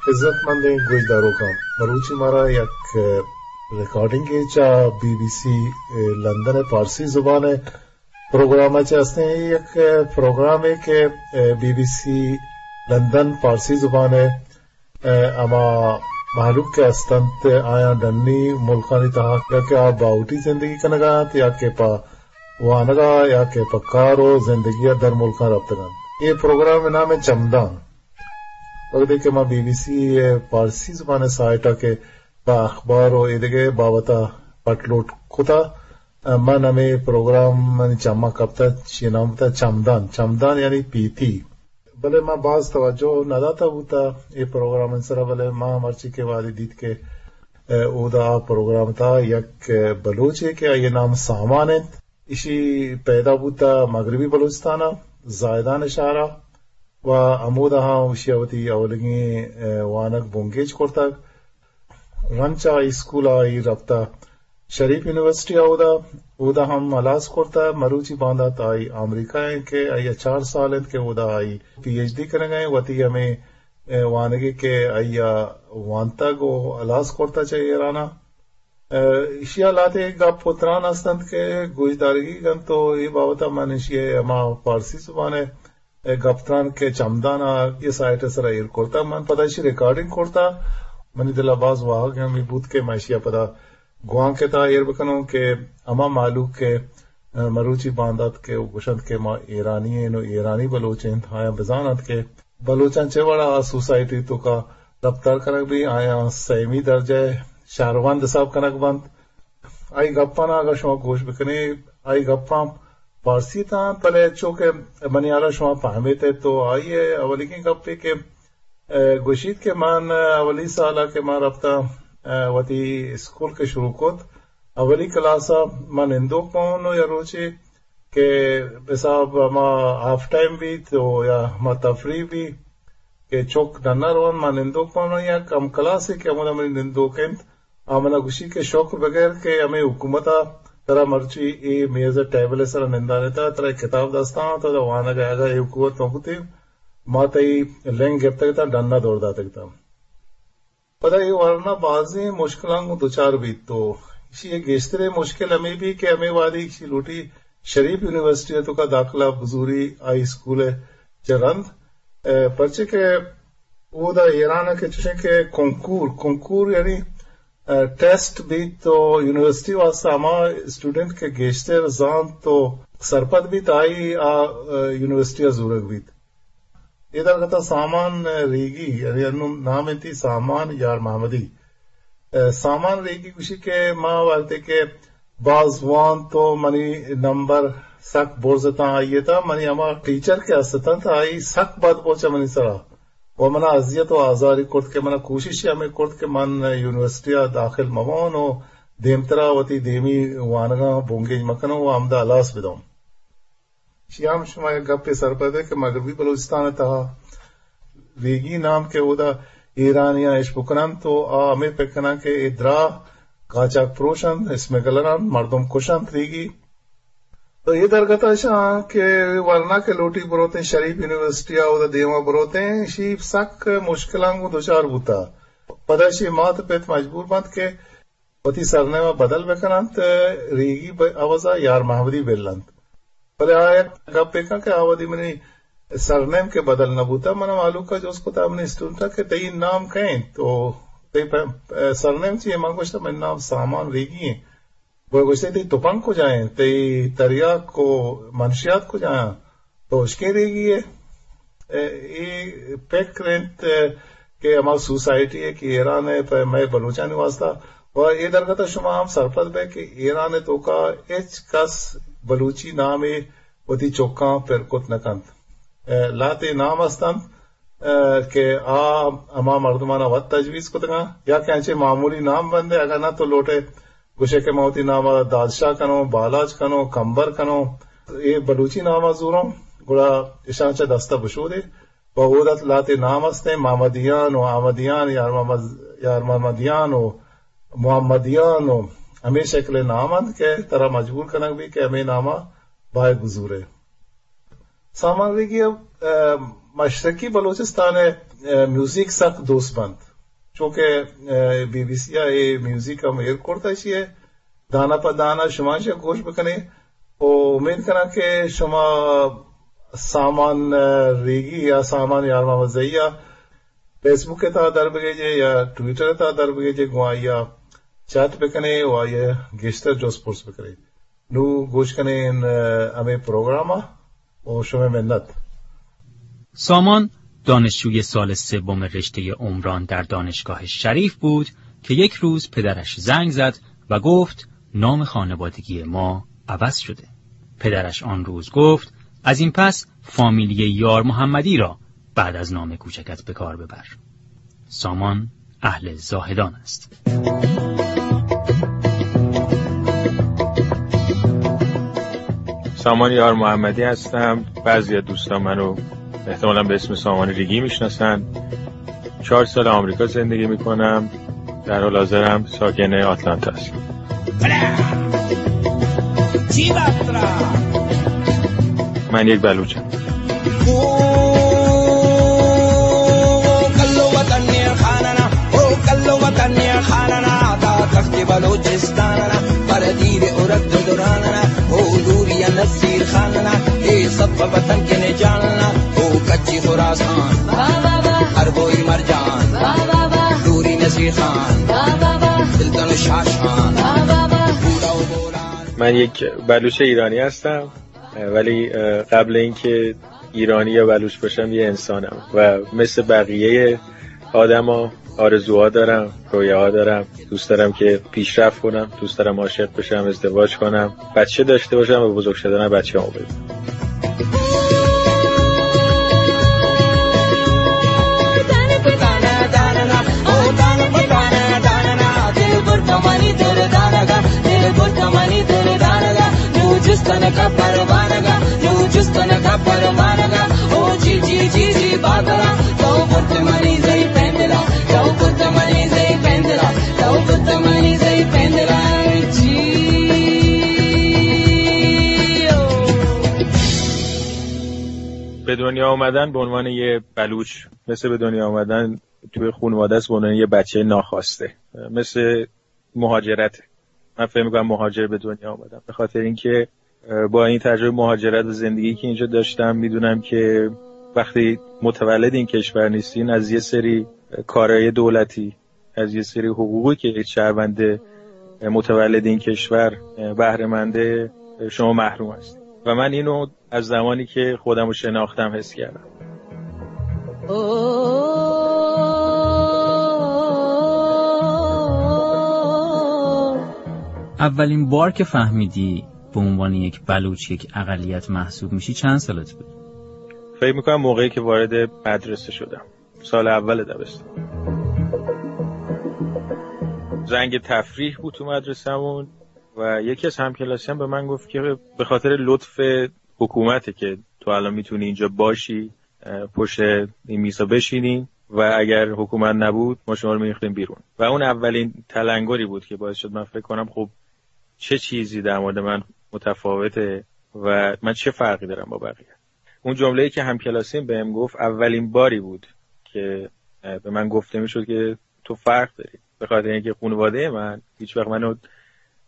عزت مندیں گوشداروکاں، مروچی مارا یک، ء، ریکارڈنگے چہ بی بی سی، ء، لندن ء پارسی زبان ء پروگرام ء چہ ہستیں۔ اے یک، ء، پروگرامے کہ، ء، بی بی سی لندن پارسی زبان ء، ء، ہما مہلوک کہ ہستنت آیاں ڈنی ملکانی تہا یا کہ آ باہوٹی زندگی کنگا انت یا کہ پہ وانگا یا کہ پہ کار و زندگی ء در ملکاں رپتگ انت۔ اے پروگرام ء نام ء چمدان۔ وقتی کہ ما بی بی سی ء پارسی زبان ء سائٹ ء کہ پہ اخبار و ایدگہ بابت ء پٹ لوٹ کتا، من ہمے پروگرام منی چماں کپتا، چی نام بوتا چمدان، چمدان یعنی پیتی۔ بلے من باز توجہ نہ داتا بوتا اے پروگرام سرا، بلے ما مرچی کہ وہدے دیت کہ، ء، اودا آ پروگرام تہا یک، ء، بلوچے کہ آئی نام سامان انت، ایشی پیدا بوتا مغربی بلوچستان ء زاہدان شہر ء و ہمودا ہاں ایشی وتی اولیگیں، ء، وانگ بنگیج کرتگ۔ رند چہ ہائی اسکول ء آئی رپتہ شریف یونیورسٹی ء، اودا، اودا ہم ہلاس کرتہ۔ مروچی باندات آئی امریکہ ء کہ آئی ء چار سال انت کہ اودا آئی پی ایچ ڈی کنگ ء، وتی ہمے، ء، وانگے کہ آئی ء وانتگ و ہلاس کرتہ چہ ایران ء۔ ء، ایشی ء لہتے گپ و تران ہست انت کہ گوشدارگی انت و اے بابت ء من ایشی ء ہما فارسی زبان ء اے گپ تران کہ چمدان ء اے سائٹ ء سرا ایر کرتگ، من پدا ایشی ریکارڈنگ کرتگ۔ منی دل ء باز واہگ ہمے بوت کہ من ایشی ء پدا گوانک ء تہا ایر بکنوں کہ ہما مہلوک کہ، ء، مروچی باندات کہ گوشنت کہ ما ایرانی ایں و ایرانی بلوچ ایں، آیاں بزان انت کہ بلوچاں چہ وڑا آ سوسائٹی توکا رپتار کنگ بی، آیاں سیمی درجہ ء شہروند حساب کنگ بنت۔ آئی گپاں اگاں شما گوش بکنے، آئی گپاں فارسی تاں، بلے چو کہ منی حالا شما فہمیت تو آئی ء اولیگیں گپے کہ، ء، گوشیت کہ من اولی سال ء کہ من رپتاں، ء، وتی اسکول کہ شروع کت، اولی کلاس ء من نندوک بون و یا روچے کہ حساب ہما ہاف ٹائم بیت و یا ہما تفریح بیت کہ چک ڈنا روان، من نندوک بون و یا کم کلاسے کہ ہمودا منی نندوک انت، آ منا گوشی کہ شکر بگر کہ ہمے حکومت ء ترا مرچی اے میز ء ٹیبل ء سرا نندانتا، ترا اے کتاب دستاں، تو دا وانگ ء اگاں اے حکومت نہ بوتیں، ما تئی لنگ گپتگ اتاں، ڈن ء دور داتگ اتاں۔ پدا اے ورنا بازیں مشکلاں گوں دچار بیت تو ایشی ء گیشتریں مشکل ہمے بی کہ ہمے وہدی ایشی لوٹی شریف یونیورسٹی ء توکا داخلہ بزوری ہائی اسکول ء چہ رند، ء، پرچے کہ اودا ایران ء کہ چوشیں کہ کنکور، کنکور یعنی، ء، ٹیسٹ بیت تو یونیورسٹی واسطہ ہما اسٹوڈنٹ کہ گیشتر زانت تو سرپد بیت، آئی آ، ء، یونیورسٹی ء زورگ بیت۔ اے درگت ء سامان ریگی، یعنی انوں نام انتی سامان یار محمدی۔ ء، سامان ریگی گوشی کہ ما وقتے کہ باز وانت و منی نمبر سک برز اتاں آئی ء تھا، منی ہما ٹیچر کہ است اتنت آئی سک بد بوچ منی سرا و منا اذیت و آزاری کرت کہ منا کوشش ہمے کرت کہ من یونیورسٹی ء داخل مبون و دیمترا وتی دیمی وانگاں بنگیج مکنوں و ہمدا ہلاس بدوں۔ شی ہم شما یک گپے سرپد ئے کہ مغربی بلوچستان ء تہا ریگی نام کہ اودا ایرانیاں اش بکننت و آ ہمے پک کناں کہ اے دراہ قاچاق پروش انت، اسمگلر انت، مردم کش انت ریگی۔ تو اے درگت ء شاں کہ ورنا کہ لوٹی بروتیں شریف یونیورسٹی ء اودا دیما بروتیں، شی سک مشکلاں گوں دچار بوتا۔ پدا شی مات پت مجبور بنت کہ وتی سرنیم ء بدل بہ کن انت، ریگی ء عوض ء یار محمدی بل انت۔ بلے آ یک گپے کن کہ آ وھدی منی سرنیم کہ بدل نہ بوت، من ء مھلوک ء جست کت، منی اسٹوڈنٹ ء کہ تئی نام کئے انت؟ تو تئی پ-، سرنیم چی انت؟ من گوشت، منی نام سامان ریگی انت۔ گوشت، تئی تپنگ کجا انت؟ تئی تریاک و منشیات کجا انت؟ تو اشکیں ریگی ئے۔ اے، اے پکر انت کہ ہما سوسائٹی ء کہ ایران ء پہ مئے بلوچانی واسطہ و اے درگت ء شما ہم سرپد بئے کہ ایران ء توکا ہچ کس بلوچی نامے وتی چکاں پر کت نہ کنت۔ اے، لہتے نام است انت، اے، کہ آ ہما مردمانا وت تجویز کتگاں یا کہ انچیں معمولی نام بندے، اگاں نہ تو لوٹے گوشے کہ من وتی نام ء دادشاہ کنوں، بالاچ کنوں، کمبر کنوں، اے بلوچی نام ء زوروں، گڑا اشاں چہ دست ء بشودے۔ پہ اود ء لہتے نام استیں، محمدیان و احمدیان، یار محمد، یار محمدیان و محمدیان و ہمے شکل ء نام انت کہ ترا مجبور کنگ بیت کہ ہمے نام ء باید بزورے۔ سامان ریگی ء، ء، مشرقی بلوچستان ء، ء، میوزک سک دوست بنت، چونکہ، ء، بی بی سی ء اے میوزک ہم ایر کرتہ، ایشی ء دانہ پہ دانہ شما چہ گوش بکنے۔ و امید کناں کہ شما سامان، ء، ریگی یا سامان یار محمد زئی ء فیس بک ء تہا در بگیجے یا ٹویٹر ء تہا در بگیجے، گوں آئی ء چیٹ بکنے و آئی ء گیشتر جست پرس بکنے۔ نوں گوش کنیں، ء، ہمے پروگرام ء و شمئے منت۔ سامان دانشجوی سال سوم رشتهٔ عمران در دانشگاه شریف بود که یک روز پدرش زنگ زد و گفت: «نام خانوادگی ما عوض شده.» پدرش آن روز گفت: «از این پس فامیلی یار محمدی را بعد از نام کوچکت به کار ببر.» سامان اهل زاهدان است. سامان یار محمدی هستم. بعضی از دوستان منو احتمالاً به اسم سامان ریگی می‌شناسن. چهار سال آمریکا زندگی می‌کنم. در حال حاضرم ساکن آتلانتا هستم. من یک بلوچم. او کلو وطن ءِ خاننا، او کلو وطن ءِ خاننا، تا تخت بلوچستاننا، پر دیر ءُ رد دراننا، او دوری نصیر خاننا، اے سب وطن کے نے جاننا، او کچی خراسان، ہر بوئی مرجان، دوری نصیر خان، سلطان شاشان، بوڑا و بولان. من یک بلوچ ایرانی هستم. ولی، اه، قبل اینکه ایرانی یا بلوچ باشم، یه انسانم و مثل بقیهٔ آدما آرزوها دارم، رویاها دارم. دوست دارم که پیشرفت کنم، دوست دارم عاشق بشم، ازدواج کنم، بچه داشته باشم و بزرگ شدن بچه‌هامو ببینم. به دنیا آمدن به عنوان یه بلوچ، مثل به دنیا آمدن توی خانواده است به عنوان یه بچهٔ ناخواسته، مثل مهاجرت. من فکر می‌کنم مهاجر به دنیا آمدم، به خاطر اینکه، اه، با این تجربهٔ مهاجرت و زندگی که اینجا داشتم، می‌دونم که وقتی متولد این کشور نیستین، از یه سری کارهای دولتی، از یه سری حقوقی که یک شهروند متولد این کشور بهره منده، شما محروم هستید. و من اینو از زمانی که خودم رو شناختم حس کردم. اولین بار که فهمیدی به عنوان یک بلوچ، یک اقلیت محسوب می‌شی، چند سالت بود؟ فکر می‌کنم موقعی که وارد مدرسه شدم، سال اول دبستان. زنگ تفریح بود تو مدرسه‌مون و یکی از همکلاسیان به من گفت که به خاطر لطف حکومته که تو الان می‌تونی اینجا باشی، اه، پشت این میزا بشینی و اگر حکومت نبود، ما شما رو می‌ریختیم بیرون. و اون اولین تلنگری بود که باعث شد من فکر کنم: «خب، چه چیزی در مورد من متفاوته و من چه فرقی دارم با بقیه؟» اون جمله‌ای که همکلاسیم بهم گفت، اولین باری بود که، اه، به من گفته می‌شد که تو فرق داری. به خاطر اینکه خانوادهٔ من هیچ وقت منو،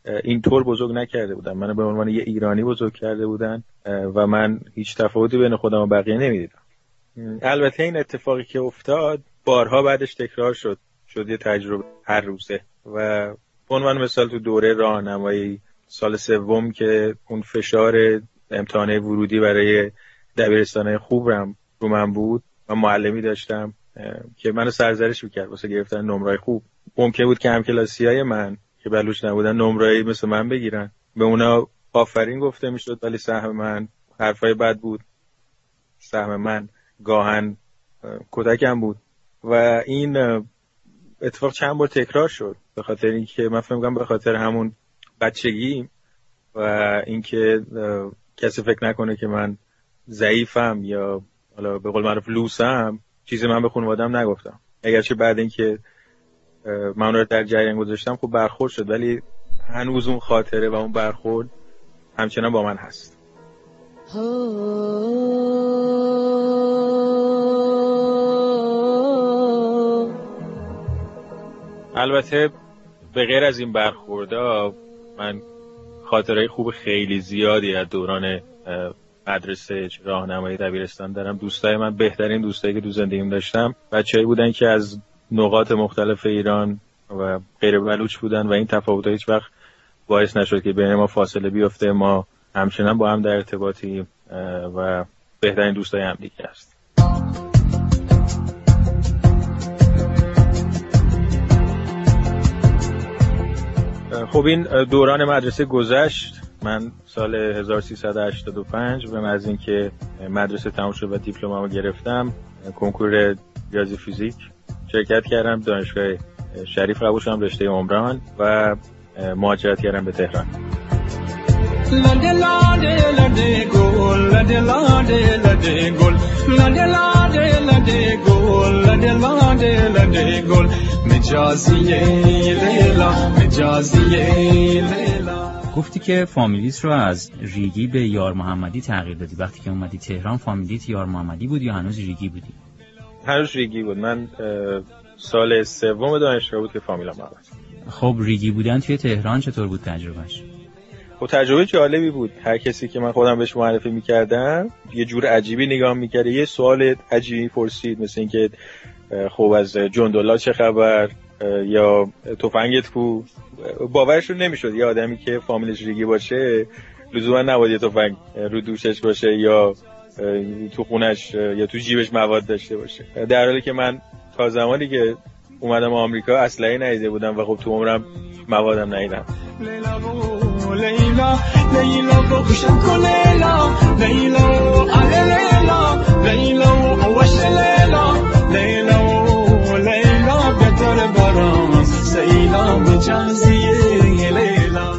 اه، اینطور بزرگ نکرده بودن. منو به عنوان یه ایرانی بزرگ کرده بودن، اه، و من هیچ تفاوتی بین خودم و بقیه نمی‌دیدم. البته این اتفاقی که افتاد بارها بعدش تکرار شد، شد یه تجربهٔ هر روزه. و به عنوان مثال تو دوره راهنمایی سال سوم که اون فشار امتحانات ورودی برای دبیرستان‌های خوب رو هم رو من بود و معلمی داشتم، اه، که منو سرزنش می‌کرد واسه گرفتن نمره‌های خوب. ممکن بود که همکلاسی‌های من که بلوچ نبودن نمره‌ای مثل من بگیرن. به اونا آفرین گفته می‌شد، ولی سهم من حرفای بد بود. سهم من گاهن، اه، کتکم بود و این، اه، اتفاق چند بار تکرار شد، به خاطر اینکه من فکر می‌کنم به خاطر همون بچگی و اینکه، اه، کسی فکر نکنه که من ضعیفم یا حالا به قول معروف لوسم، چیزی من به خانواده‌ام نگفتم. اگرچه بعد اینکه، اه، من اونا رو در جریان گذاشتم، خب برخورد شد، ولی هنوز اون خاطره و اون برخورد همچنان با من هست. البته به غیر از این برخوردها، من خاطرهٔ خوب خیلی زیادی از دوران، اه، مدرسه، راهنمایی، دبیرستان دارم. دوستای من، بهترین دوستایی که تو زندگیم داشتم، بچه‌ای بودن که از نقاط مختلف ایران و غیر بلوچ بودن و این تفاوت‌ها هیچ وقت باعث نشد که بین ما فاصله بیفته. ما همچنان با هم در ارتباطیم، اه، و بهترین دوستای همدیگه هستیم. خب، این دوران مدرسه گذشت. من سال هزار و سیصد و هشتاد و پنج، بعد از اینکه مدرسه تمام شد و دیپلممو گرفتم، کنکور ریاضی فیزیک شرکت کردم، دانشگاه شریف قبول شدم، رشتهٔ عمران، و مهاجرت کردم به تهران. لدے لاڈے لدے گول، لدے لاڈے لدے گول، لدے لاڈے لدے گول، لدے لاڈے لدے گول، مجازی لیلا، مجازی لیلا. گفتی که فامیلیت رو از ریگی به یار محمدی تغییر دادی. وقتی که اومدی تهران، فامیلیت یار محمدی بود یا هنوز ریگی بودی؟ هنوز ریگی بود. من، اه، سال سوم دانشگاه بود که فامیلم عوض. خب، ریگی بودن توی تهران چطور بود تجربهش؟ خب، تجربهٔ جالبی بود. هر کسی که من خودم بهش معرفی می‌کردم، یه جور عجیبی نگاه می‌کرد، یه سوال عجیبی پرسید، مثل اینکه، اه، خب، از جندلا چه خبر؟ اه، یا تفنگت کو؟ باورشون نمی‌شد یه آدمی که فامیلش ریگی باشه، لزوما نباید یه تفنگ رو دوشش باشه یا، اه، تو خونش، اه، یا تو جیبش مواد داشته باشه، در حالی که من تا زمانی که اومدم آمریکا، اسلحه‌ای ندیده بودم و خب، تو عمرم موادم ندیدم. لیلا، لیلا، لیلا، بکشم کو لیلا، لیلا، آله لیلا، لیلا، وش لیلا، لیلا، لیلا، بهتر برام، سیلا، مجازی لیلا.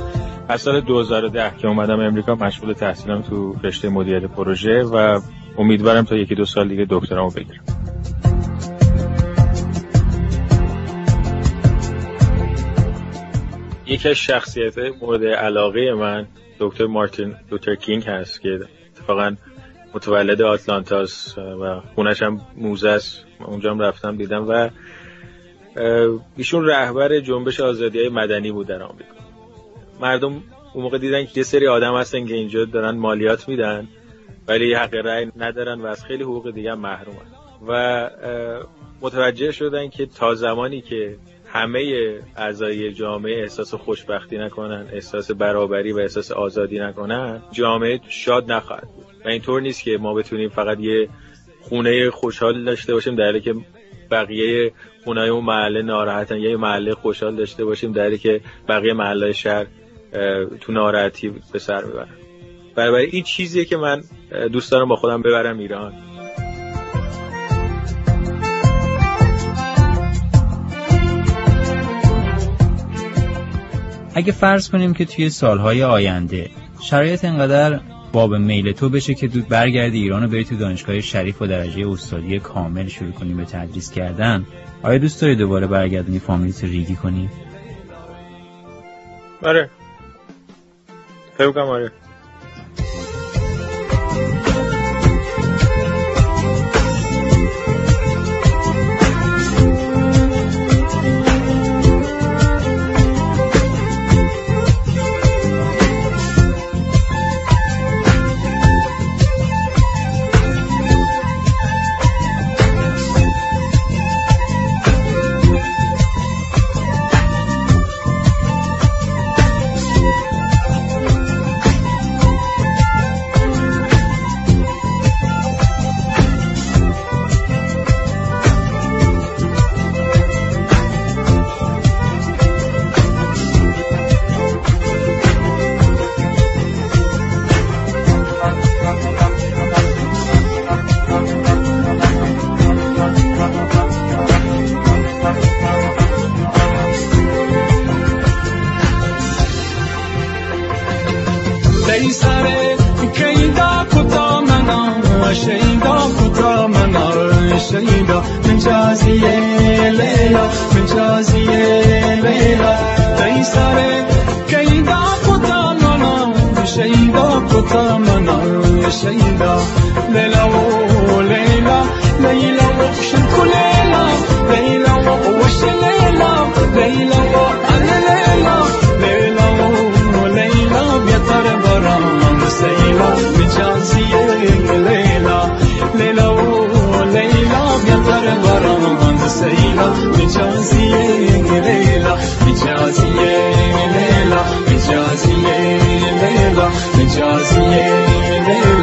از سال دو هزار و ده که اومدم امریکا، مشغول تحصیلم تو رشتهٔ مدیریت پروژه و امیدوارم تا یکی دو سال دیگه دکترامو بگیرم. یکی از شخصیت‌های مورد علاقهٔ من دکتر مارتین لوتر کینگ هست که اتفاقاً متولد آتلانتاست و خونش هم موزه است. من اونجا هم رفتم، دیدم و، اه، ایشون رهبر جنبش آزادی‌های مدنی بود در آمریکا. مردم اون موقع دیدن که یه سری آدم هستن که اینجا دارن مالیات می‌دن ولی حق رأی ندارن و از خیلی حقوق دیگه هم محرومن و، اه، متوجه شدن که تا زمانی که همهٔ اعضای جامعه احساس خوشبختی نکنن، احساس برابری و احساس آزادی نکنن، جامعه شاد نخواهد بود. و اینطور نیست که ما بتونیم فقط یه خونهٔ خوشحال داشته باشیم، در حالی که بقیهٔ خونه‌های اون محله ناراحتن، یا یه محله خوشحال داشته باشیم، در حالی که بقیهٔ محله‌های شهر، اه، تو ناراحتی به سر می‌برن. بنابراین این چیزیه که من، اه، دوست دارم با خودم ببرم ایران. اگه فرض کنیم که توی سالهای آینده شرایط انقدر باب میل تو بشه که دو برگردی ایران و بری تو دانشگاه شریف با درجهٔ استادی کامل شروع کنی به تدریس کردن، آیا دوست داری دوباره برگردونی فامیلیت ریگی کنی؟ آره. فکر کنم آره. دئی سرے کئی دا کتا منا، شیدا کتا منا، شیدا مجازی لیلا، مجازی لیلا. دئی سرے کئی دا کتا منا، شیدا کتا منا، شیدا. لیلا او لیلا، لیلا او شنکو لیلا، لیلا او وش لیلا، مجازی لیلا، مجازی لیلا، مجازی لیلا، مجازی لیلا۔